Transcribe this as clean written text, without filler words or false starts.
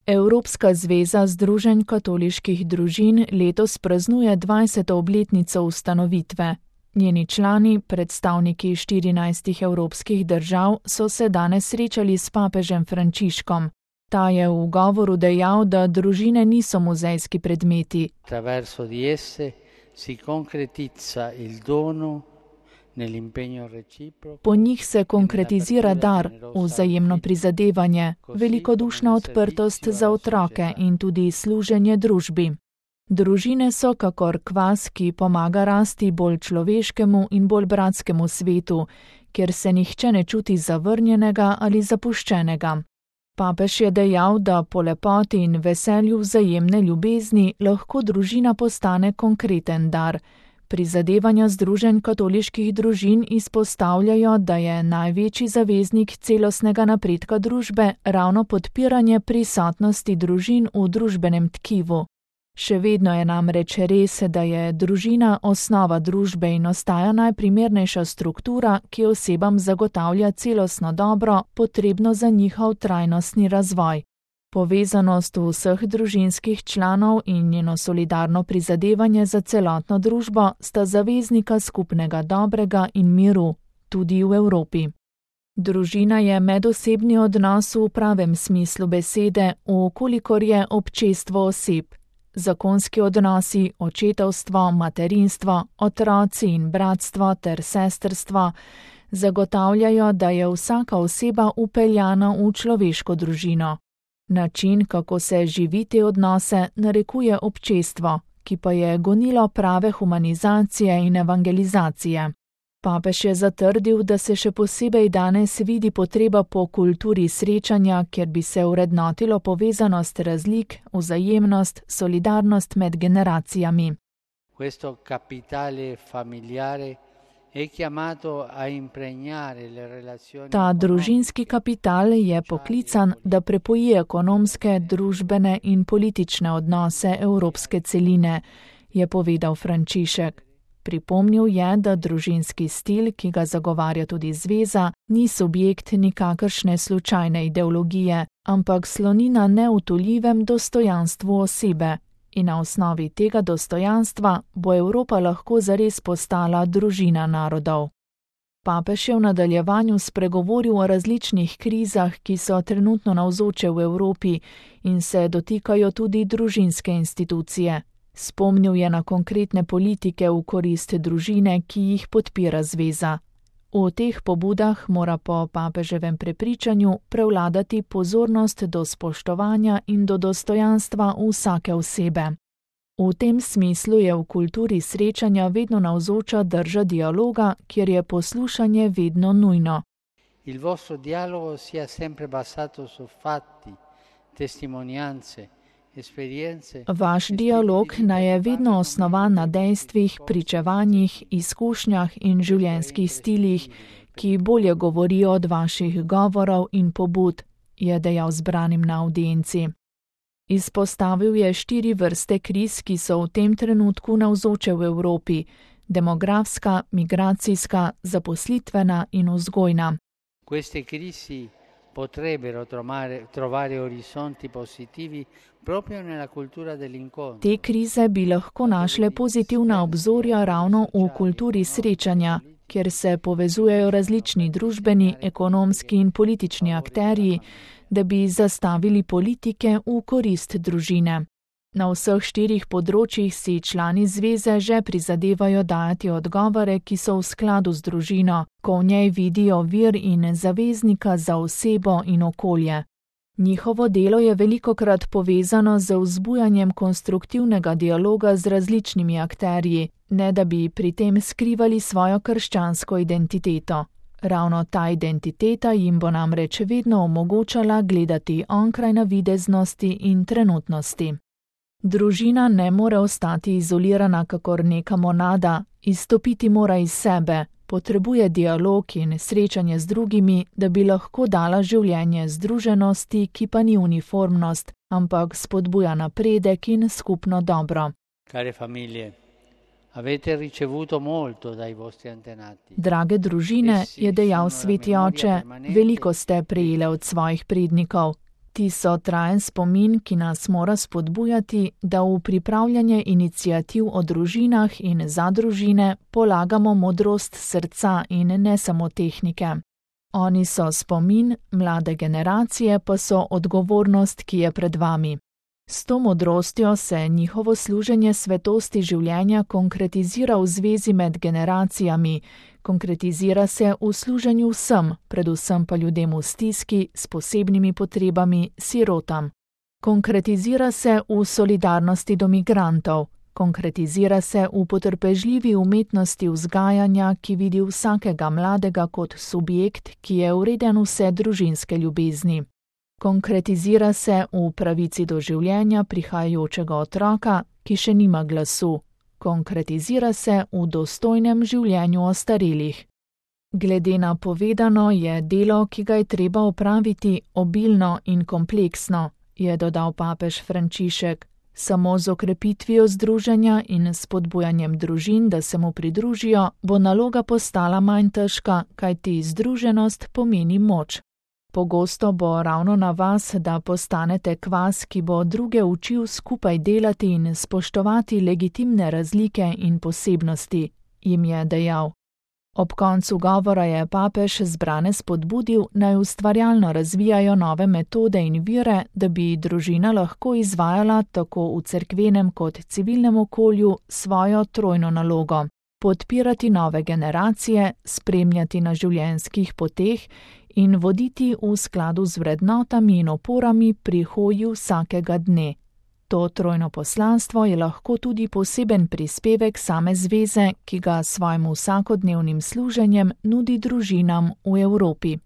Evropska zveza združenj katoliških družin letos praznuje 20. obletnico ustanovitve. Njeni člani, predstavniki 14 evropskih držav, so se danes srečali s papežem Frančiškom. Ta je v govoru dejal, da družine niso muzejski predmeti. Attraverso di esse si concretizza il dono. Po njih se konkretizira dar, vzajemno prizadevanje, velikodušna odprtost za otroke in tudi služenje družbi. Družine so kakor kvas, ki pomaga rasti bolj človeškemu in bolj bratskemu svetu, kjer se nihče ne čuti zavrnjenega ali zapuščenega. Papež je dejal, da po lepoti in veselju vzajemne ljubezni lahko družina postane konkreten dar. Prizadevanja združenj katoliških družin izpostavljajo, da je največji zaveznik celostnega napredka družbe ravno podpiranje prisotnosti družin v družbenem tkivu. Še vedno je namreč res, da je družina osnova družbe in ostaja najprimernejša struktura, ki osebam zagotavlja celostno dobro, potrebno za njihov trajnostni razvoj. Povezanost vseh družinskih članov in njeno solidarno prizadevanje za celotno družbo sta zaveznika skupnega dobrega in miru, tudi v Evropi. Družina je medosebni odnos v pravem smislu besede, vkolikor je občestvo oseb. Zakonski odnosi, očetovstvo, materinstvo, otroci in bratstvo ter sestrstvo zagotavljajo, da je vsaka oseba vpeljana v človeško družino. Način, kako se živi te odnose, narekuje občestvo, ki pa je gonilo prave humanizacije in evangelizacije. Papež je zatrdil, da se še posebej danes vidi potreba po kulturi srečanja, kjer bi se vrednotilo povezanost razlik, vzajemnost, solidarnost med generacijami. Questo capitale familiare è chiamato a impregnare le relazioni. Ta družinski kapital je poklican, da prepoji ekonomske, družbene in politične odnose evropske celine, je povedal Frančišek. Pripomnil je, da družinski stil, ki ga zagovarja tudi zveza, ni subjekt nikakršne slučajne ideologije, ampak sloni na neutuljivem dostojanstvu osebe. In na osnovi tega dostojanstva bo Evropa lahko zares postala družina narodov. Papež je v nadaljevanju spregovoril o različnih krizah, ki so trenutno navzoče v Evropi in se dotikajo tudi družinske institucije. Spomnil je na konkretne politike v korist družine, ki jih podpira zveza. V teh pobudah mora po papeževem prepričanju prevladati pozornost do spoštovanja in do dostojanstva vsake osebe. V tem smislu je v kulturi srečanja vedno navzoča drža dialoga, kjer je poslušanje vedno nujno. Il vostro dialogo sia sempre basato su fatti, testimonianze. Vaš dialog naj je vedno osnovan na dejstvih, pričevanjih, izkušnjah in življenjskih stilih, ki bolje govorijo od vaših govorov in pobud, je dejal zbranim na avdienci. Izpostavil je 4 vrste kriz, ki so v tem trenutku navzoče v Evropi: demografska, migracijska, zaposlitvena in vzgojna. Queste crisi potrebbero trovare orizzonti positivi proprio nella cultura dell'incontro. Te krize bi lahko našle pozitivna obzorja ravno v kulturi srečanja, kjer se povezujejo različni družbeni, ekonomski in politični akterji, da bi zastavili politike v korist družine. Na vseh 4 področjih si člani zveze že prizadevajo dajati odgovore, ki so v skladu z družino, ko v njej vidijo vir in zaveznika za osebo in okolje. Njihovo delo je velikokrat povezano z vzbujanjem konstruktivnega dialoga z različnimi akterji, ne da bi pri tem skrivali svojo krščansko identiteto. Ravno ta identiteta jim bo namreč vedno omogočala gledati onkraj navideznosti in trenutnosti. Družina ne more ostati izolirana kakor neka monada, izstopiti mora iz sebe, potrebuje dialog in srečanje z drugimi, da bi lahko dala življenje združenosti, ki pa ni uniformnost, ampak spodbuja napredek in skupno dobro. Care famiglie, avete ricevuto molto dai vostri antenati. Drage družine, je dejal sveti oče, veliko ste prejele od svojih prednikov. Ti so trajen spomin, ki nas mora spodbujati, da v pripravljanje iniciativ o družinah in za družine polagamo modrost srca in ne samo tehnike. Oni so spomin, mlade generacije pa so odgovornost, ki je pred vami. S to modrostjo se njihovo služenje svetosti življenja konkretizira v zvezi med generacijami, konkretizira se v služenju vsem, predvsem pa ljudem v stiski, s posebnimi potrebami, sirotam. Konkretizira se v solidarnosti do migrantov, konkretizira se v potrpežljivi umetnosti vzgajanja, ki vidi vsakega mladega kot subjekt, ki je vreden vse družinske ljubezni. Konkretizira se v pravici do življenja prihajajočega otroka, ki še nima glasu. Konkretizira se v dostojnem življenju ostarelih. Glede na povedano je delo, ki ga je treba opraviti, obilno in kompleksno, je dodal papež Frančišek. Samo z okrepitvijo združenja in spodbujanjem družin, da se mu pridružijo, bo naloga postala manj težka, kajti združenost pomeni moč. Pogosto bo ravno na vas, da postanete kvas, ki bo druge učil skupaj delati in spoštovati legitimne razlike in posebnosti, jim je dejal. Ob koncu govora je papež zbrane spodbudil, naj ustvarjalno razvijajo nove metode in vire, da bi družina lahko izvajala tako v cerkvenem kot civilnem okolju svojo trojno nalogo: podpirati nove generacije, spremljati na življenjskih poteh in voditi v skladu z vrednotami in oporami pri hoji vsakega dne. To trojno poslanstvo je lahko tudi poseben prispevek same zveze, ki ga svojim vsakodnevnim služenjem nudi družinam v Evropi.